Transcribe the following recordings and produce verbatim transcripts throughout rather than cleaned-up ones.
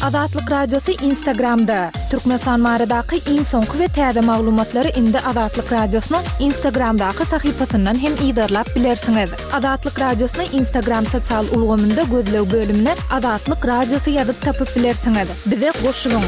Azatlyk Radiosy Instagramda. Türkmenistan baradaky iň soňky we täze maglumatlary indi Azatlyk Radiosynyň Instagramdaky sahypasyndan hem yzarlap bilersiňiz. Azatlyk Radiosyny Instagram sosial ulgamynda gözleg bölümine Azatlyk Radiosy ýazyp tapyp bilersiňiz. Bize goşulyň.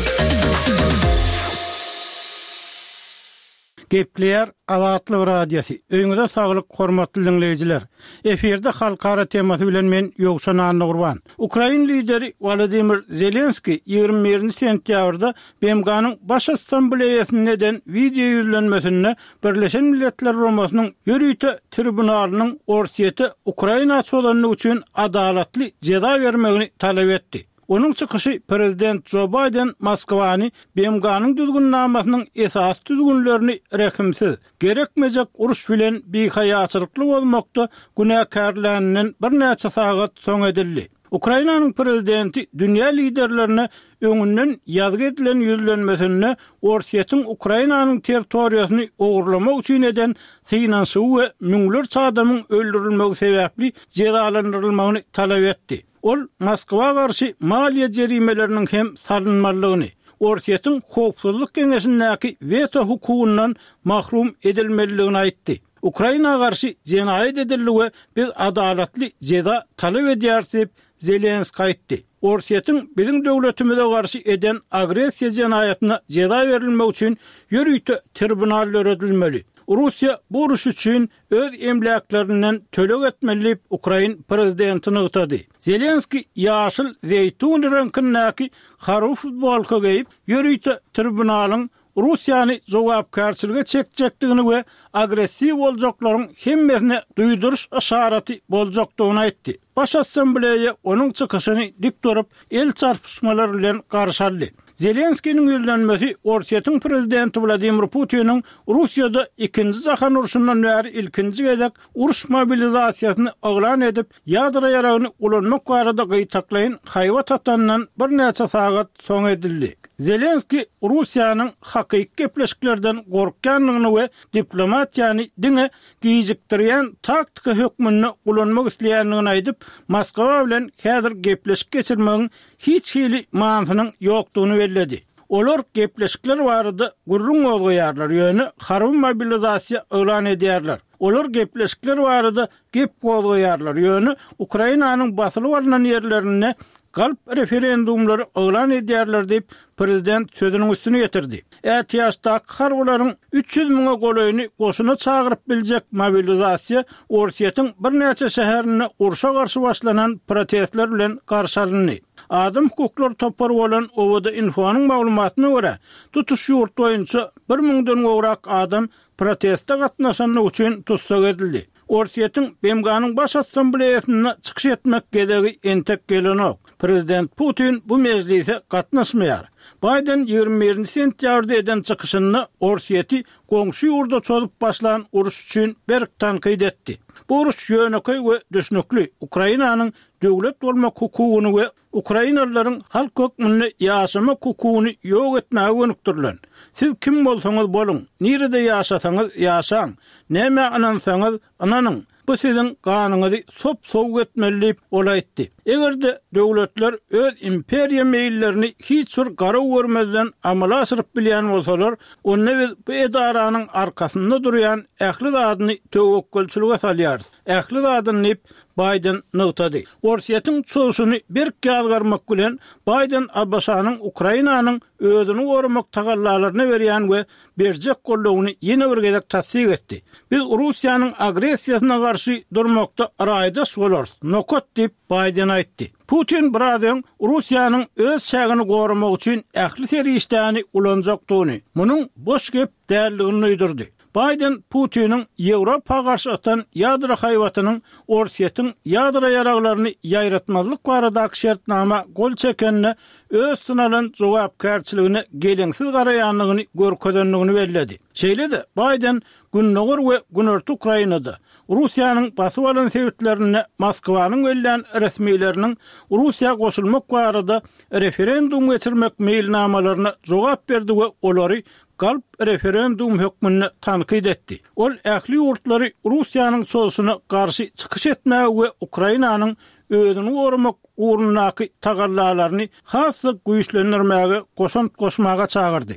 Gepleýär Azatlyk Radiosy. Öýüňize saglyk, hormatly diňleýjiler. Efirde halkara temasy bilen men Ýowşan Annagurban. Ukrain lideri Wladimir Zelenski ýigrimi birinji sentýabrda B M G-nyň Baş Assambleýasynda eden wideo ýüzlenmesinde Birleşen Milletler Guramasynyň ýörite tribunalynyň Orsýete Ukraina çozanlygy üçin adalatly jeza bermegini talap etdi. Onuň çykyşy Prezident Jo Bayden Moskwany B M G-nyň düzgünnamasynyň esas düzgünlerini rehimsiz, gerekmejek uruş bilen bihaýaçylykly bolmakda günäkärläninden birnäçe sagat soň edildi. Ukrainanyň prezidenti dünýä liderlerine öňünden ýazgy edilen ýüzlenmesinde Orsýetiň Ukrainanyň territoriýasyny ogurlamak üçin eden synanyşygy we müňlerçe adamyň öldürilmegi sebäpli jezalandyrylmagyny talap etdi. Ol Moskwa garşy maliýe jerimeleriniň hem salynmalydygyny, Orsýetiň howpsuzlyk geňeşindäki weto hukugyndan mahrum edilmelidigini aýtdy. Ukraina garşy jenaýat edildi we biz adalatly jeza talap edýäris diýip Zelenski aýtdy. Orsýetiň biziň döwletimize garşy eden agressiýa jenaýatyna jeza berilmek üçin ýörite tribunal döredilmeli. Russiýa bu uruş üçin öz emläklerinden töleg etmeli diýip Ukrain prezidenti nygtady. Zelenski ýaşyl zeýtun reňkindäki harby futbolka geýip, ýörite tribunalyň Russiýany jogapkärçilige çekjekdigini we agressiw boljaklaryň hemmesine duýduryş yşaraty boljakdygyny aýtdy. Baş assambleýa onuň çykyşyny dik durup, el çarpyşmalar bilen garşy aldy. Zelenskiniň ýüzlenmesi Orsýetiň prezidenti Wladimir Putiniň Russiýada ikinji jahan urşundan bäri ilkinji gezek uruş mobilizasiýasyny yglan edip, ýadro ýaragyny ulanmak barada gytaklaýyn haýbat atandan birnäçe sagat soň edildi. Zelenski Russiýanyň hakyky gepleşiklerden gorkýandygyny we diplomatiýany diňe gijikdirýän taktika hökmünde ulanmak isleýändigini aýdyp, Moskwa bilen häzir gepleşik geçirmegiň hiç hili manysynyň ýokdugyny belledi. Olar gepleşikler barada gürrüň gozgaýarlar, ýöne harby mobilizasiýa yglan edýärler. Olar gepleşikler barada gep gozgaýarlar, ýöne Ukrainanyň basylyp alynan ýerlerinde galp referendumlary yglan edýärler diýip prezident sözüniň üstüne getirdi. Ätiýaçdaky harbylaryň üç ýüz müňe golaýyny goşuna çagyryp biljek mobilizasiýa Orsýetiň birnäçe şäherinde urşa garşy başlanan protestler bilen garşy alyndy. Adam hukuklary topary bolan Owada Info'nyň maglumatyna görä, tutuş ýurt boýunça bir müňden gowrak adam proteste gatnaşanlygy üçin tussag edildi. Orsýetiň B M G-nyň Baş Assambleýasynda çykyş etmek gezegi entek gelenok. Prezident Putin bu mejlise gatnaşmaýar. Biden ýigrimi birinji sentýabrda eden çykyşynda Orsýeti goňşy ýurda çozup başlan uruş üçin berk tankyt etdi. Bu uruş ýönekeý we düşnükli Ukrainanyň döwlet bolmak hukugyny we Ukrainalylaryň halk hökmünde ýaşamak hukugyny ýok etmäge gönükdirilen. Siz kim bolsaňyz boluň, nirede ýaşasaňyz ýaşaň, näme ynansaňyz ynanyň. Bu siziň ganyňyzy sop-sowuk etmeli diýip ol aýtdy. Eger-de döwletler öz imperiýa meýillerini hiç bir garaw görmezden amala aşyryp bilýän bolsalar, onda biz bu edaranyň arkasynda durýan ähli zadyny töwekgelçilige salýarys. Ähli zadyny diýip Biden nygtady. Orsýetiň çozuşyny berk ýazgarmak bilen Biden A B Ş-nyň Ukrainanyň özüni goramak tagallalaryna berýän we berjek goldawyny ýene bir gezek tassyk etdi. Biz Russiýanyň agressiýasyna garşy durmakda raýdaş bolarys, nokat diýip Biden aýtdy. Putin biraz öň Russiýanyň öz çägini goramak üçin ähli serişdäni ulanjakdygyny, munuň boş gep däldigini duýdurdy. Biden Putiniň Ýewropa garşy atan ýadro haýbatynyň Orsýetiň ýadro ýaraglaryny ýaýratmazlyk baradaky şertnama gol çekenine öz synalan jogapkärçiligine geleňsiz garaýandygyny görkezendigini belledi. Şeýle-de Biden Gündogar we Günorta Ukrainada Russiýanyň basyp alan sebitlerinde Moskwanyň bellän resmileriniň Russiýa goşulmak barada referendum geçirmek meýilnamalaryna jogap berdi we olary galp referendum hökmünde tankyt etdi. Ol ähli ýurtlary Russiýanyň çozuşyna garşy çykyş etmäge we Ukrainanyň özüni goramak ugrundaky tagallalaryny has-da güýçlendirmäge goşant goşmaga çagyrdy.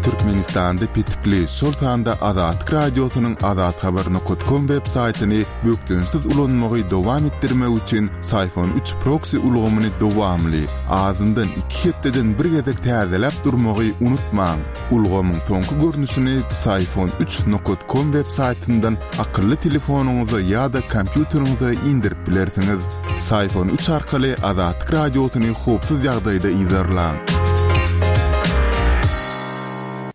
Türkmenistanda petikli, şol sanda Azatlyk Radiosynyň azathabar nokta com web saýtyny bökdençsiz ulanmagy dowam etdirmek üçin Syfon üç proksi ulgamyny dowamly, azyndan iki hepdeden bir gezek täzeläp durmagy unutmaň. Ulgamyň soňky görnüşini Syfon üç nokta com web saýtyndan akylly telefonyňyza ýa-da kompýuteriňize indirip bilersiňiz. Syfon üç arkaly Azatlyk Radiosyny howpsuz ýagdaýda yzarlaň.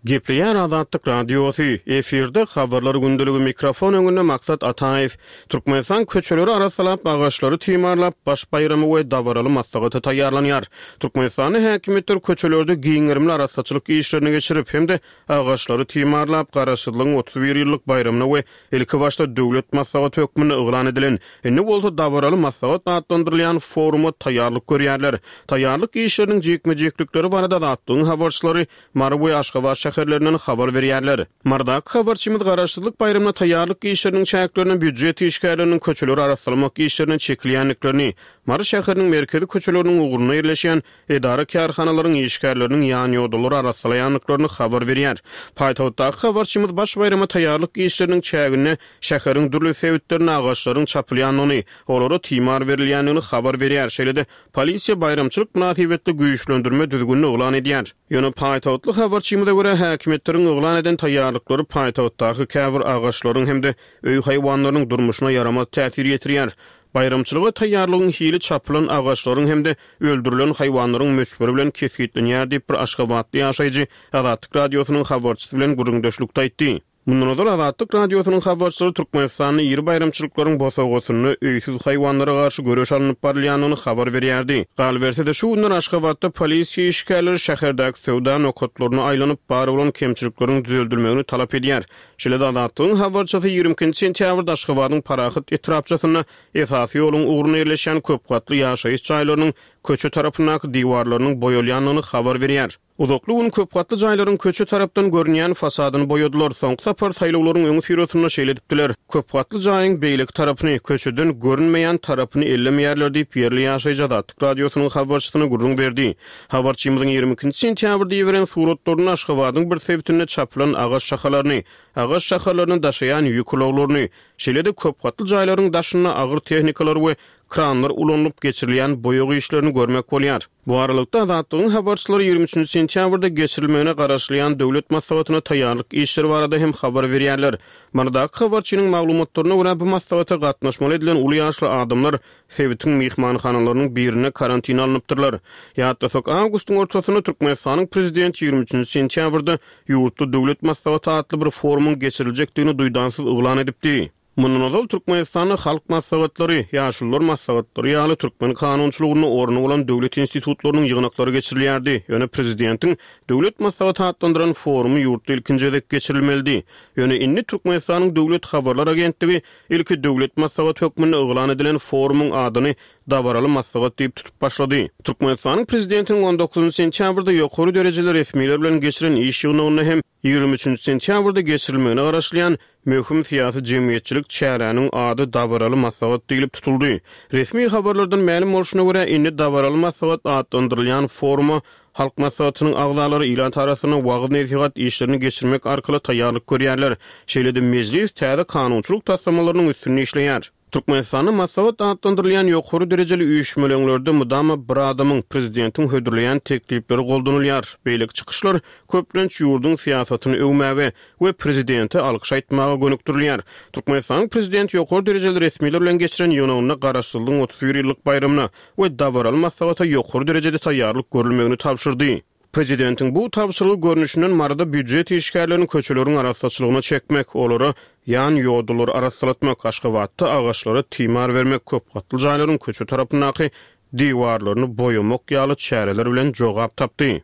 Gepleýär Azatlyk Radiosy, efirde habarlar gündeligi, mikrofon öňünde Maksat Ataýew. Türkmenistan köçeleri arassalap, agaçlary timarlap, baş baýramy we dabaraly maslahata taýýarlanýar. Türkmenistanda häkimiýetler köçelerde giň gerimli arassaçylyk işlerini geçirip, hem-de agaçlary timarlap, Garaşsyzlygyň otuz bir ýyllyk baýramyna we ilki başda döwlet maslahaty hökmünde yglan edilen, indi bolsa dabaraly maslahat atlandyrylýan foruma taýýarlyk görýärler. Taýýarlyk işleriniň jikme-jiklikleri barada Azatlygyň habarçylary Mary we Aşgabat şäherlerinden habar berýärler. Marydaky habarçymyz Garaşsyzlyk baýramyna taýýarlyk işleriniň çäklerinde býujet işgärleriniň köçeleri arassalamak işlerine çekilýändiklerini, Mary şäheriniň merkezi köçeleriniň ugrunda ýerleşýän edara-kärhanalaryň işgärleriniň ýan-ýodalary arassalaýandyklaryny habar berýär. Paýtagtdaky habarçymyz baş baýrama taýýarlyk işleriniň çäginde şäheriň dürli sebitlerinde agaçlaryň çapylýandygyny, olara timar berilýändigini habar berýär. Şeýle-de polisiýa baýramçylyk mynasybetli güýçlendirme düzgünini yglan edýär. Ýöne paýtagtly habarçymyza görä häkimiýetleriň yglan eden taýýarlyklary paýtagtdaky käbir agaçlaryň hem-de öý haýwanlarynyň durmuşyna ýaramaz täsir ýetirýär. Baýramçylyga taýýarlygyň hili çapylan agaçlaryň hem-de öldürilen haýwanlaryň möçberi bilen kesgitlenýär diýip bir aşgabatly ýaşaýjy Azatlyk Radiosynyň habarçysy bilen gürrüňdeşlikde aýtdy. Mundan ozal Azatlyk Radiosynyň habarçylary Türkmenistanda iri baýramçylyklaryň bosagasynda öýsüz haýwanlara garşy göreş alnyp barylýandygyny habar berýärdi. Galyberse-de şu günler Aşgabatda polisiýa işgärleri şäherdäki söwda nokatlaryna aýlanyp, bar bolan kemçilikleriň düzeldilmegini talap edýär. Şeýle-de Azatlygyň habarçysy ýigrimi ikinji sentýabrda Aşgabadyň Parahat etrapçasynda esasy ýoluň ugrunda ýerleşýän köpgatly ýaşaýyş jaýlarynyň köçe tarapyndaky diwarlarynyň boýalýandygyny habar berýär. Uzakly gün köpgatly jaýlaryň köçe tarapdan görünýän fasadyny boýadylar. Soňky sapar saýlawlaryň öňi syrasynda şeýle edipdiler. Köpgatly jaýyň beýleki tarapyny, köçeden görünmeýän tarapyny ellemeýärler diýip ýerli ýaşaýjy Azatlyk Radiosynyň habarçysyna gürrüň berdi. Habarçymyzyň ýigrimi ikinji sentýabrda iberen suratlaryny Aşgabadyň bir sebitinde çapylan agaç şahalaryny, agaç şahalaryny daşaýan ýük ulaglaryny, şeýle-de köpgatly jaýlaryň daşynda agyr tehnikalar we kranlar ulanylyp geçirilýän boýag işlerini görmek bolýar. Bu aralykda Azatlygyň habarçylary ýigrimi üçünji sentýabrda geçirilmegine garaşylýan döwlet maslahatyna taýýarlyk işleri barada hem habar berýärler. Marydaky habarçynyň maglumatlaryna görä bu maslahata gatnaşmaly edilen uly ýaşly adamlar sebitiň myhmanhanalarynyň birinde karantina alnypdyrlar. Ýatlasak, awgustyň ortasynda Türkmenistanyň prezidenti ýigrimi üçünji sentýabrda ýurtda döwlet maslahaty atly bir forumyň geçiriljekdigini duýdansyz yglan edipdi. Mundan ozal Türkmenistanda halk maslahatlary, ýaşulular maslahatlary ýaly türkmen kanunçylygynda orny bolan döwlet institutlarynyň ýygnaklary geçirilýärdi. Ýöne prezidentiň döwlet maslahaty atlandyran forumy ýurtda ilkinji gezek geçirilmelidi. Ýöne indi Türkmenistanyň döwlet habarlar agentligi ilki döwlet maslahaty hökmünde yglan edilen forumyň adyny dabaraly maslahat diýip tutup başlady. Türkmenistanyň prezidentiniň on dokuzynjy sentýabrda ýokary derejeli resmiler bilen geçiren iş ýygnagynda hem ýigrimi üçünji sentýabrda geçirilmegine garaşylýan möhüm syýasy jemgyýetçilik çäräniň ady dabaraly maslahat diýlip tutuldy. Resmi habarlardan mälim bolşuna görä, indi dabaraly maslahat atlandyrylýan foruma Halk maslahatynyň agzalary ilat arasynda wagyz-nesihat işlerini geçirmek arkaly taýýarlyk görýärler. Şeýle-de mejlis täze kanunçylyk taslamalarynyň üstünde işleýär. Türkmenistanda maslahat atlandyrylýan ýokary derejeli üýşmeleňlerde mydama bir adamyň, prezidentiň hödürleýän teklipleri goldanylýar. Beýleki çykyşlar köplenç ýurduň syýasatyny öwmäge we prezidente alkyş aýtmaga gönükdirilýär. Türkmenistanyň prezidenti ýokary derejeli resmiler bilen geçiren ýygnagynda Garaşsyzlygyň otuz bir ýyllyk baýramyna we dabaraly maslahata ýokary derejede taýýarlyk görülmegini tabşyrdy. Prezidentiň bu tabşyrygy görnüşinden Maryda býujet işgärlerini köçeleriň arassaçylygyna çekmek, olara ýan ýodalary arassalatmak, Aşgabatda agaçlara timar bermek, köpgatly jaýlaryň köçe tarapyndaky diwarlaryny boýamak ýaly çäreler bilen jogap tapdy.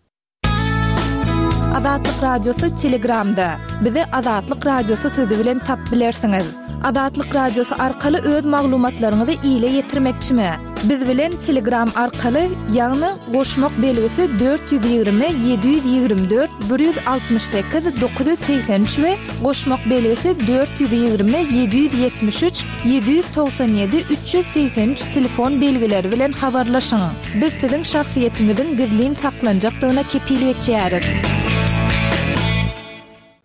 Azatlyk Radiosy Telegramda. Bizi Azatlyk Radiosy sözi bilen tap bilersiňiz. Azatlyk Radiosy arkaly öz maglumatlaryňyzy ile ýetirmekçimi? Biz bilen Telegram arkaly, ýagny goşmak belgisi dört ýüz ýigrimi ýedi ýüz ýigrimi dört bir ýüz altmyş sekiz dokuz ýüz segsen üç we goşmak belgisi dört ýüz ýigrimi ýedi ýüz ýetmiş üç ýedi ýüz togsan ýedi üç ýüz segsen üç telefon belgileri bilen habarlaşyň. Biz siziň şahsyýetiňiziň gizlin saklanjakdygyna kepil geçýäris.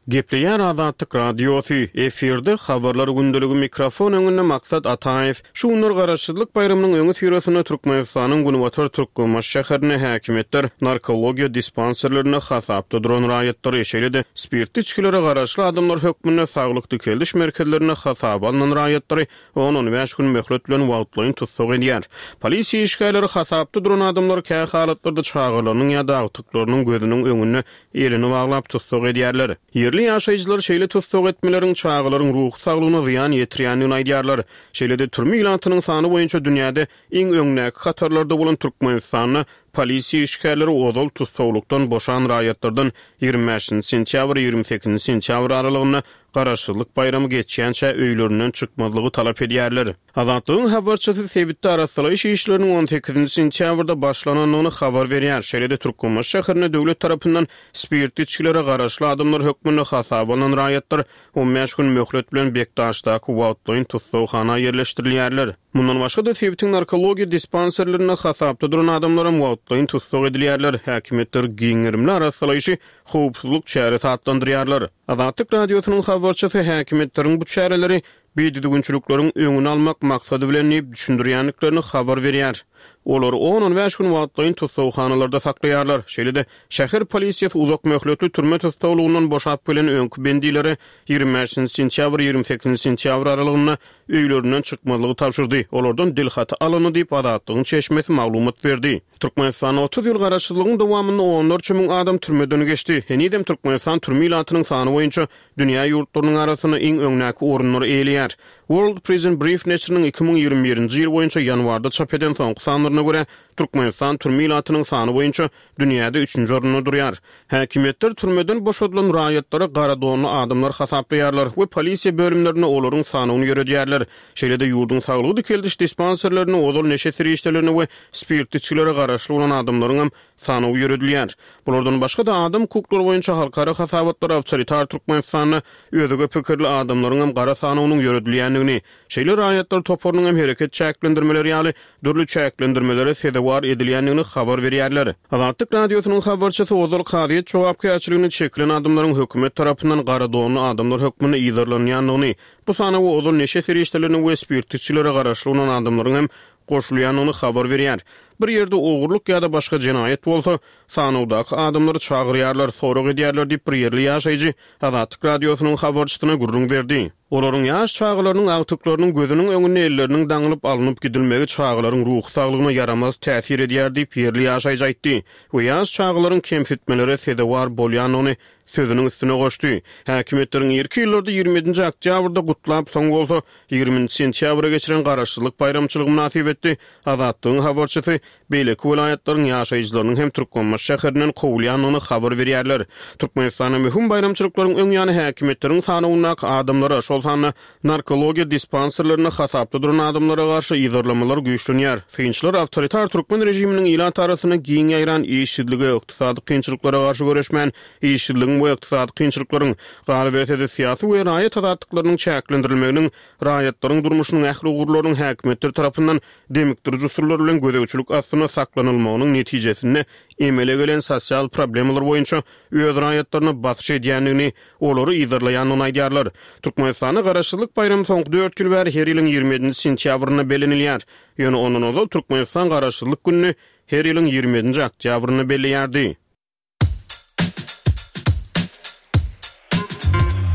Gepleýär Azatlyk Radiosy, efirde habarlar gündeligi, mikrofon öňünde Maksat Ataýew. Şu günler Garaşsyzlyk baýramynyň öňüsyrasynda Türkmenistanyň Günbatar Türkmenbaşy şäherinde häkimiýetler narkologiýa dispanserlerinde hasapda duran raýatlary, şeýle-de spirtli içgilere garaşly adamlar hökmünde saglyk dikeldiş merkezlerinde hasaba alnan raýatlary on-on bäş gün möhlet bilen wagtlaýyn tussag edýär. Polisiýa işgärleri hasapda duran adamlar kä halatlarda çagalarynyň ýa-da agtyklarynyň gözüniň öňünde elini baglap tussag edýärler. Ýerli ýaşaýjylar şeýle tussag etmeleriň çagalaryň ruhy saglygyna zyýan ýetirýändigini aýdýarlar. Şeýle-de türme ilatynyň sany boýunça dünýäde iň öňdäki hatarlarda bolan Türkmenistanda polisiýa işgärleri ozal tussaglykdan boşan raýatlardan ýigrimi bäşinji sentýabr ýigrimi sekizinji sentýabr aralygynda Garaşsyzlyk baýramy geçýänçä öýlerinden çykmazlygy talap edýärler. Azatlygyň habarçysy sebitde arassalaýyş işleriniň on sekizinji sentýabrda başlanandygyny habar berýär. Şeýle-de Türkmenbaşy şäherinde döwlet tarapyndan spirtli içgilere garaşly adamlar hökmünde hasaba alnan raýatlar on bäş gün möhlet bilen Bekdaşdaky wagtlaýyn tussaghana ýerleşdirilýärler. Mundan başga-da sebitiň narkologiýa dispanserlerinde hasapda duran adamlaram wagtlaýyn tussag edilýärler. Häkimiýetler giň gerimli arassalaýşy howpsuzlyk çäresi atlandyrýarlar. Azatlyk Radiosynyň habarçysy häkimiýetleriň bu çäreleri bidüzgünçilikleriň öňüni almak maksady bilen diýip düşündirýändiklerini habar berýär. Olar on-on bäş gün wagtlaýyn tussaghanalarda saklaýarlar. Şeýle-de şäher polisiýasy uzak möhletli türme tussaglygyndan boşap gelen öňki bendilere ýigrimi bäşinji sentýabr ýigrimi sekizinji sentýabr aralygynda öýlerinden çykmazlygy tabşyrdy. Olardan dil haty alyndy diýip Azatlygyň çeşmesi maglumat berdi. Türkmenistanda otuz ýyl garaşsyzlygyň dowamynda onlarça müň adam türmeden geçdi. Henizem Türkmenistan türme ilatynyň sany boýunça dünýä ýurtlarynyň arasynda iň öňdäki orunlary eýeleýär. World Prison Brief neşiriniň iki müň ýigrimi birinji ýyl boýunça ýanwarda çap eden soňky sanlaryna görä Türkmenistan türme ilatynyň sany boýunça dünýäde üçünji orunda durýar. Häkimiýetler türmeden boşadylan raýatlara gara donly adamlar hasaplaýarlar we polisiýa bölümlerinde olaryň sanyny ýöredýärler. Şeýle-de ýurduň saglygy dikeldiş dispanserlerinde ozal neşe serişdelerini we spirtli içgilere garaşly bolan adamlaryň hem sanawy ýöredilýär. Bulardan başga-da adam hukuklary boýunça halkara hasabatlar awtoritar Türkmenistanda özge pikirli adamlaryň hem gara sanawynyň ýöredilýändigini, şeýle raýatlar toparynyň hem hereket çäklendirmeleri ýaly dürli çäklendirmelere sezewar edilýändigini habar berýärler. Azatlyk Radiosynyň habarçysy ozal kazyýet jogapkärçiligini çekilen adamlaryň hökümet tarapyndan gara donly adamlar hökmünde yzarlanýandygyny, bu sanawa ozal neşe serişdelerini we spirtli içgilere garaşly bolan adamlaryň hem goşulýandygyny habar berýär. Bir ýerde ogurlyk ýa-da başga jenaýat bolsa, sanawdaky adamlary çagyrýarlar, sorag edýärler diýip bir ýerli ýaşaýjy Azatlyk Radiosynyň habarçysyna gürrüň berdi. Olaryň ýaş çagalarynyň agtyklarynyň gözüniň öňünde elleriniň daňylyp alnyp gidilmegi çagalaryň ruhy saglygyna ýaramaz täsir edýär diýip ýerli ýaşaýjy aýtdy we ýaş çagalaryň kemsitmelere sezewar bolýandygyny sözüniň üstüne goşdy. Häkimiýetleriň irki ýyllarda ýigrimi ýedinji oktýabrda gutlap, soň bolsa ýigriminji sentýabra geçiren garaşsyzlyk baýramçylygy mynasybetli Azatlygyň habarçysy beýleki welaýatlaryň ýaşaýjylarynyň hem Türkmenbaşy şäherinden kowulýandygyny habar berýärler. Türkmenistanda möhüm baýramçylyklaryň öň ýany häkimiýetleriň sanawyndaky adamlara, şol sanda narkologiýa dispanserlerinde hasapda duran adamlara garşy yzarlamalar güýçlenýär. Synçylar awtoritar türkmen režiminiň ilat arasynda giň ýaýran işsizlige, ykdysady kynçylyklara garşy göreşmän, işsizligiň we ykdysady kynçylyklaryň, galyberse-de syýasy we raýat azatlyklarynyň çäklendirilmeginiň, raýatlaryň durmuşynyň ähli ugurlarynyň häkimiýetler tarapyndan demikdirici usullar bilen gözegçilik astynda saklanylmagynyň netijesinde emele gelen sosial problemalar boýunça öz raýatlaryna basyş edýändigini, olary yzarlaýandygyny aýdýarlar. Türkmenistanda Garaşsyzlyk baýramy soňky dört ýyl bäri her ýylyň ýigrimi ýedinji sentýabrynda bellenilýär. Ýöne ondan ozal Türkmenistan Garaşsyzlyk gününi her ýylyň ýigrimi ýedinji oktýabrynda belleýärdi.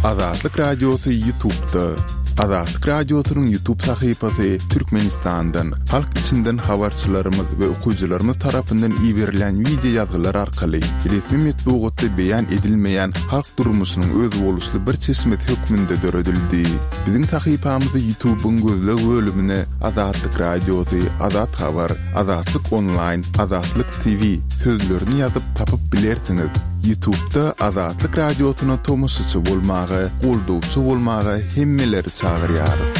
Azatlyk Radiosy YouTube'da. Azatlyk Radiosynyň YouTube sahypasy Türkmenistandan, halk içinden habarçylarymyz we okyjylarymyz tarapyndan iberilen video ýazgylar arkaly resmi metbugatda beýan edilmeýän halk durmuşynyň özboluşly bir çeşmesi hökmünde döredildi. Biziň sahypamyzy YouTube'yň gözleg bölümine Azatlyk Radiosy, Azat Habar, Azatlyk Online, Azatlyk T V sözlerini ýazyp tapyp bilersiňiz. Ýutubda Azatlyk Radiosyna tomaşaçy bolmaga, goldawçy bolmaga hemmeleri çagyrýarys.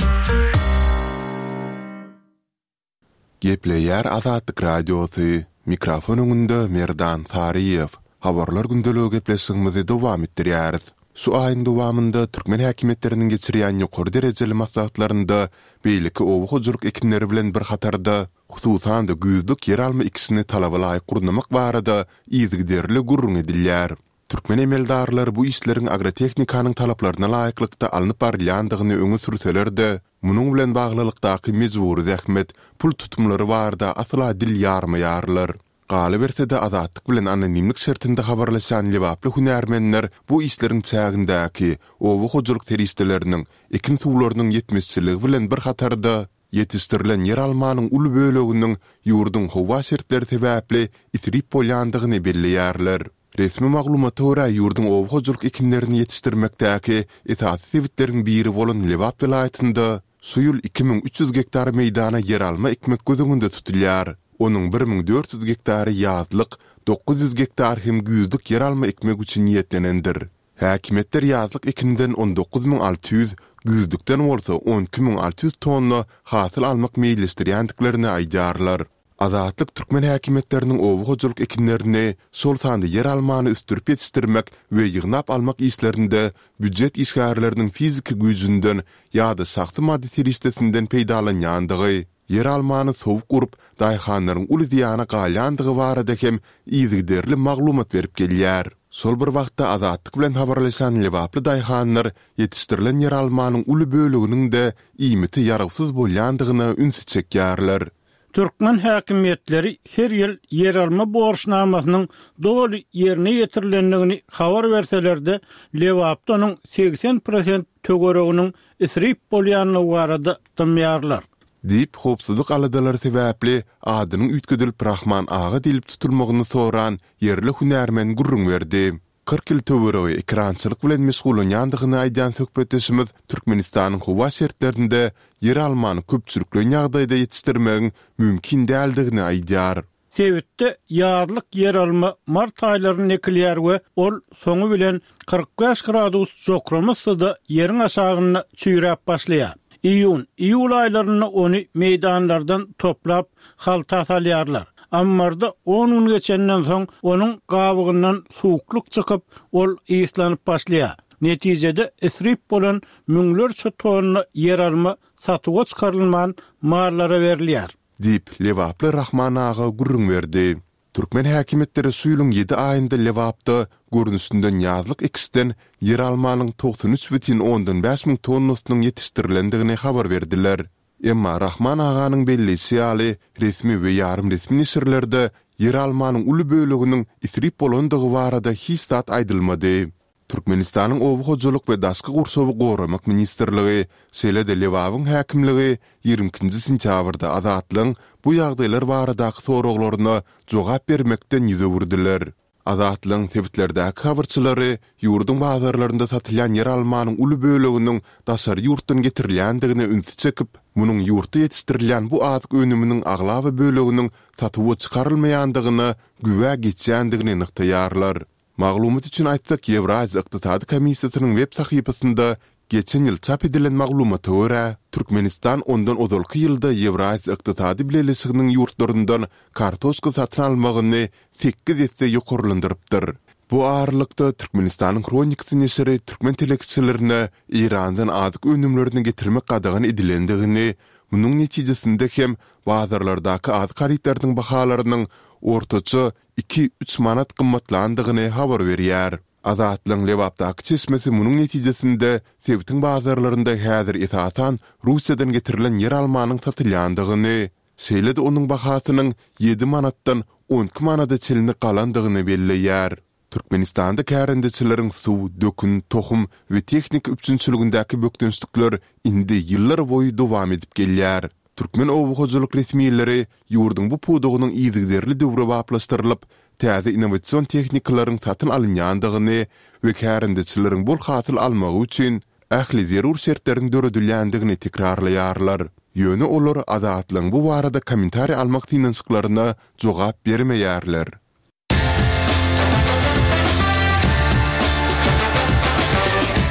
Gepleýär Azatlyk Radiosy, mikrofon öňünde Merdan Saryýew. Habarlar gündeligi gepleşigimizi dowam etdirýäris. Şu aýyň dowamynda türkmen häkimiýetleriniň geçirýän ýokary derejeli maslahatlarynda beýleki oba hojalyk ekinleri bilen bir hatarda, hususan-da güýzlük ýeralma ekişini talaba laýyk gurnamak barada yzygiderli gürrüň edilýär. Türkmen emeldarlary bu işleriň agrotehnikanyň talaplaryna laýyklykda alnyp barylýandygyny öňe sürseler-de, munuň bilen baglylykdaky mejbury zähmet, pul tutumlary barada asla dil ýarmaýarlar. Galyberse-de, Azatlyk bilen anonimlik şertinde habarlaşan lebaply hünärmenler bu işleriň çägindäki oba hojalyk serişdeleriniň, ekin suwlarynyň ýetmezçiligi bilen bir hatarda, ýetişdirilen ýeralmanyň uly böleginiň ýurduň howa şertleri sebäpli isrip bolýandygyny belleýärler. Resmi maglumata görä, ýurduň oba hojalyk ekinlerini ýetişdirmekdäki esasy sebitleriň biri bolan Lebap welaýatynda şu ýyl iki müň üç ýüz gektar meýdana ýeralma ekmek göz öňünde tutulýar. Onuň bir müň dört ýüz gektary ýazlyk, dokuz ýüz gektar hem güýzlük ýeralma ekmek üçin niýetlenendir. Häkimiýetler ýazlyk ekinden on dokuz müň alty ýüz, güýzlükden bolsa on iki müň alty ýüz tonna hasyl almak meýilleşdirýändiklerini aýdýarlar. Azatlyk türkmen häkimiýetleriniň oba hojalyk ekinlerini, şol sanda ýeralmany ösdürip ýetişdirmek we ýygnap almak işlerinde býujet işgärleriniň fiziki güýjünden ýa-da şahsy maddy serişdesinden peýdalanýandygy, ýeralmany sowuk urup, daýhanlaryň uly zyýana galýandygy barada hem yzygiderli maglumat berip gelýär. Şol bir wagtda Azatlyk bilen habarlaşan lebaply daýhanlar ýetişdirilen ýeralmanyň uly böleginiň-de iýmite ýarawsyz bolýandygyna ünsi çekýärler. Türkmen häkimiýetleri her ýyl ýeralma borçnamasynyň doly ýerine ýetirilendigini habar berseler-de, Lebapda onuň segsen prosent töwereginiň isrip bolýandygy barada dymýarlar. Diýip, howpsuzlyk aladalary sebäpli adynyň üýtgedilip Rahman aga diýlip tutulmagyny soran ýerli hünärmen gürrüň berdi. Kyrk ýyl töweregi ekerançylyk bilen meşgullanýandygyny aýdýan söhbetdeşimiz Türkmenistanyň howa şertlerinde ýeralmany köpçülikleýin ýagdaýda ýetişdirmegiň mümkin däldigini aýdýar. Sebitde ýazlyk ýeralma mart aýlarynda ekilýär we ol soňy bilen kyrk bäş gradus jokrama yssyda ýeriň aşagynda çüýräp başlaýar. Iýun, iýul aýlarynda ony meýdanlardan toplap halta salýarlar. Ammarda on gün geçenden soň onuň gabygyndan suwuklyk çykyp, ol yslanyp başlaýar. Netijede isrip bolan müňlerçe tonna ýeralma satuwa çykarylman mallara berilýär. Diýip, lebaply Rahman aga gürrüň berdi. Türkmen häkimiýetleri şu ýylyň ýedi aýynda Lebapda görnüşinden ýazlyk ekişden ýeralmanyň togsan üç bütin ondan bäş müň tonnasynyň ýetişdirilendigini habar berdiler. Emma Rahman aganyň belleýşi ýaly, resmi we ýarym resmi neşirlerde ýeralmanyň uly böleginiň isrip bolandygy barada hiç zat aýdylmady. Türkmenistanyň Oba hojalyk we daşky gurşawy goramak ministrligi, şeýle-de Lebabyň häkimligi ýigrimi ikinji sentýabrda Azatlygyň bu ýagdaýlar baradaky soraglaryna jogap bermekden ýüz öwürdiler. Azatlygyň sebitlerdäki habarçylary ýurduň bazarlarynda satylýan ýeralmanyň uly böleginiň daşary ýurtdan getirilýändigine ünsi çekip, munuň ýurtda ýetişdirilýän bu azyk önüminiň aglaba böleginiň satuwa çykarylmaýandygyna güwä geçýändigini nygtaýarlar. Maglumat üçin aýtsak, Ýewraziýa ykdysady komissiýasynyň web sahypasynda geçen ýyl çap edilen maglumata görä, Türkmenistan ondan ozalky ýylda Ýewraziýa ykdysady bileleşiginiň ýurtlaryndan kartoşka satyn almagyny sekiz esse ýokarlandyrypdyr. Bu aralykda, Türkmenistanyň Hronikasy neşiri türkmen telekeçilerine Eýrandan azyk önümlerini getirmek gadagan edilendigini, munuň netijesinde hem bazarlardaky azyk harytlarynyň bahalarynyň ortaça iki-üç manat gymmatlandygyny habar berýär. Azatlygyň Lebapdaky çeşmesi munuň netijesinde sebitiň bazarlarynda häzir esasan Russiýadan getirilen ýeralmanyň satylýandygyny, şeýle-de onuň bahasynyň ýedi manatdan on iki manada çenli galandygyny belleýär. Türkmenistanda kärendeçileriň suw, dökün, tohum we tehnika üpjünçiligindäki bökdençlikler indi ýyllar boýy dowam edip gelýär. Türkmen oba hojalyk resmileri ýurduň bu pudagynyň yzygiderli döwrebaplaşdyrylyp, täze innowasion tehnikalaryň satyn alynýandygyny we kärendeçileriň bol hasyl almagy üçin ähli zerur şertleriň döredilýändigini tekrarlaýarlar. Ýöne olar Azatlygyň bu barada kommentariý almak synanyşyklaryna jogap bermeýärler.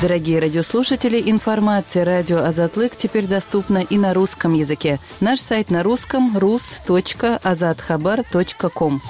Дорогие радиослушатели, информация радио Азатлык теперь доступна и на русском языке. Наш сайт на русском rus.azathabar.com.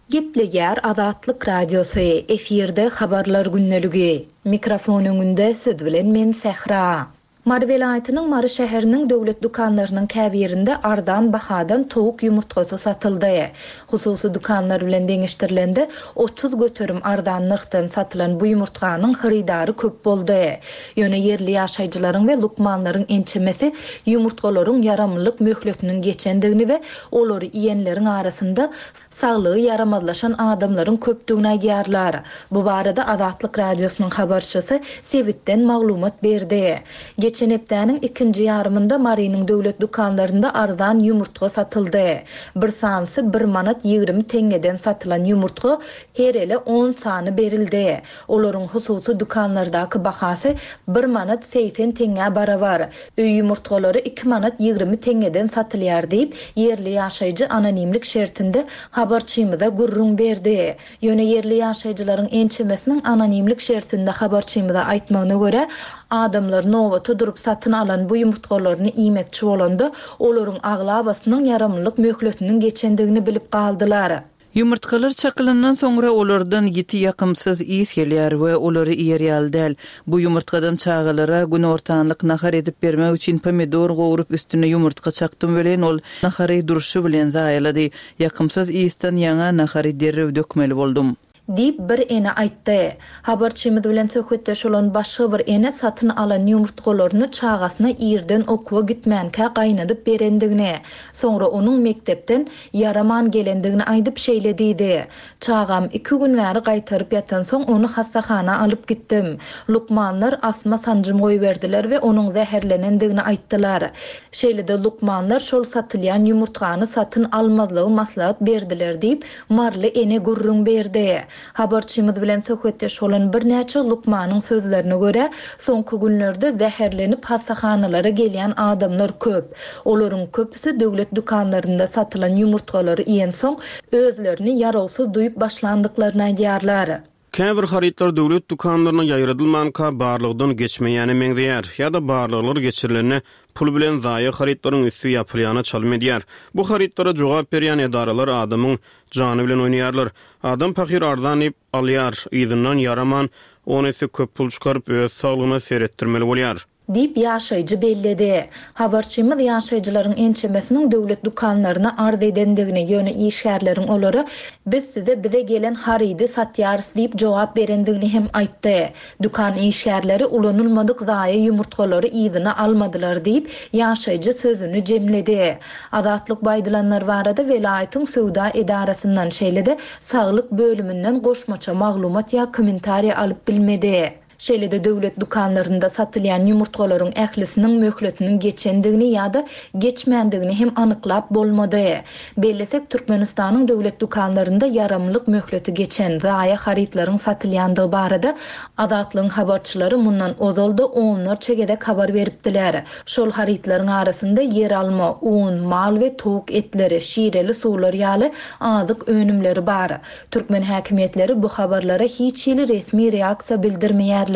Gepleýär Azatlyk Radiosy, efirde habarlar gündeligi. Mikrofon öňünde siz bilen men Sähra. Mary welaýatynyň Mary şäheriniň döwlet dükanlarynyň käbirinde arzan bahadan towuk ýumurtgasy satyldy. Hususy dükanlar bilen deňeşdirilende otuz göterim arzan nyrhdan satylan bu ýumurtganyň hyrydary köp boldy. Ýöne ýerli ýaşaýjylaryň we lukmanlaryň ençemesi ýumurtgalaryň ýaramlylyk möhletiniň geçendigini we olary iýenleriň arasynda saglygy ýaramazlaşan adamlaryň köpdügini aýdýarlar. Bu barada Azatlyk Radiosynyň habarçysy sebitden maglumat berdi. Geçen hepdäniň ikinji ýarymynda Marynyň döwlet dükanlarynda arzan ýumurtga satyldy. Bir sanysy bir manat ýigrimi teňňeden satylan ýumurtga her ele on sany berildi. Olaryň hususy dükanlardaky bahasy bir manat segsen teňňä barabar. Öý ýumurtgalary iki manat ýigrimi teňňeden satylýar diýip, ýerli ýaşaýjy anonimlik şertinde habarçymyza gürrüň berdi. Ýöne ýerli ýaşaýjylaryň ençemesiniň anonimlik şertinde habarçymyza aýtmagyna görä, adamlar nobata durup satyn alan bu ýumurtgalaryny iýmekçi bolanda, olaryň aglabasynyň ýaramlylyk möhletiniň geçendigini bilip galdylar. Ýumurtgalar çakylandan soňra olardan ýiti ýakymsyz ys gelýär we olary iýer ýaly däl. Bu ýumurtgadan çagalara günortanlyk nahar edip bermek üçin pomidor gowrup üstüne ýumurtga çakdym welin ol nahary durşy bilen zaýalady. Ýakymsyz ysdan ýaňa nahary derrew dökmeli boldum. Diýip bir ene aýtdy. Habarçymyz bilen söhbetdeş bolan başga bir ene satyn alan ýumurtgalaryny çagasyna irden okuwa gitmänkä gaýnadyp berendigini, soňra onuň mekdepden ýaraman gelendigini aýdyp şeýle diýdi. Çagam iki gün bäri gaýtaryp ýatan soň ony hassahana alyp gitdim. Lukmanlar asma sanjym goýberdiler we onuň zäherlenendigini aýtdylar. Şeýle-de lukmanlar şol satylýan ýumurtgany satyn almazlygy maslahat berdiler diýip Marly ene gürrüň berdi. Habarçymyz bilen söhbetdeş bolan birnäçe lukmanyň sözlerine görä, soňky günlerde zäherlenip hassahanalara gelýän adamlar köp. Olaryň köpüsi döwlet dükanlarynda satylan ýumurtgalary iýen soň özlerini ýarawsyz duýup başlandyklaryny aýdýarlar. Käbir harytlar döwlet dükanlaryna ýaýradylmanka barlykdan geçmeýäne meňzeýär ýa-da barlyklar geçirilende pul bilen zaýa harytlaryň üsti ýapylýana çalym edýär. Bu harytlara jogap berýän edaralar adamyň jany bilen oýnaýarlar. Adam pahyr arzan diýip alýar, yzyndan ýaraman, on esse köp pul çykaryp öz saglygyna seretdirmeli bolýar. Diýip ýaşaýjy belledi. Habarçymyz ýaşaýjylaryň ençemesiniň döwlet dükanlaryna arz edendigini, ýöne işgärleriň olara biz size bize gelen harydy satýarys diýip jogap berendigini hem aýtdy. Dükan işgärleri ulanylmadyk zaýa ýumurtgalary yzyna almadylar diýip ýaşaýjy sözüni jemledi. Azatlyk baýdylanlar barada welaýatyň söwda edarasyndan şeýle-de saglyk bölüminden goşmaça maglumat ýa kommentariýa alyp bilmedi. Şeýle-de döwlet dükanlarynda satylýan ýumurtgalaryň ählisiniň möhletiniň geçendigini ýa-da geçmändigini hem anyklap bolmady. Bellesek, Türkmenistanyň döwlet dükanlarynda ýaramlyk möhleti geçen zaýa harytlaryň satylýandygy barada Azatlygyň habarçylary mundan ozal-da onlarça gezek habar beripdiler. Şol harytlaryň arasynda ýer alma, un, mal we towuk etleri, şireli suwlar ýaly azyk önümleri bar. Türkmen häkimiýetleri bu habarlara hiç hili resmi reaksiýa bildirmeýär.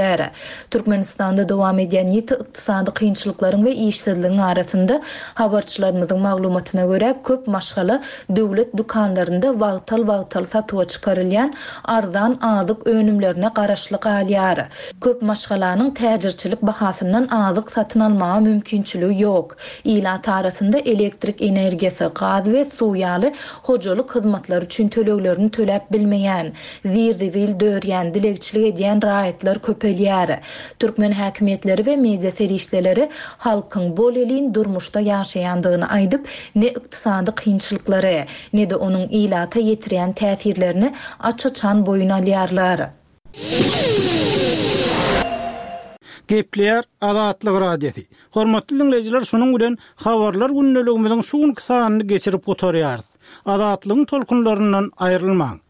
Türkmenistanda dowam edýän ýiti ykdysady kynçylyklaryň we işsizligiň arasynda habarçylarymyzyň maglumatyna görä köp maşgala döwlet dükanlarynda wagtal-wagtal satuwa çykarylýan arzan azyk önümlerine garaşly galýar. Köp maşgalanyň täjirçilik bahasyndan azyk satyn almaga mümkinçiligi ýok. Ilat arasynda elektrik energiýasy, gaz we suw ýaly hojalyk hyzmatlary üçin töleglerini töläp bilmeýän, zir-zibil dörýän, dilegçilik edýän raýatlar köpelýär. Türkmen häkimiýetleri we media serişdeleri halkyň bolelin durmuşda ýaşaýandygyny aýdyp, ne ykdysady kynçylyklary, ne-de onuň ilata ýetirýän täsirlerini aç-açan boýun alýarlar. Gepleýär Azatlyk Radiosy. Hormatly dinleýjiler, şunuň bilen habarlar gündeligimiziň şu günki sanyny geçirip gutarýarys. Azatlygyň tolkunlaryndan aýrylmaň.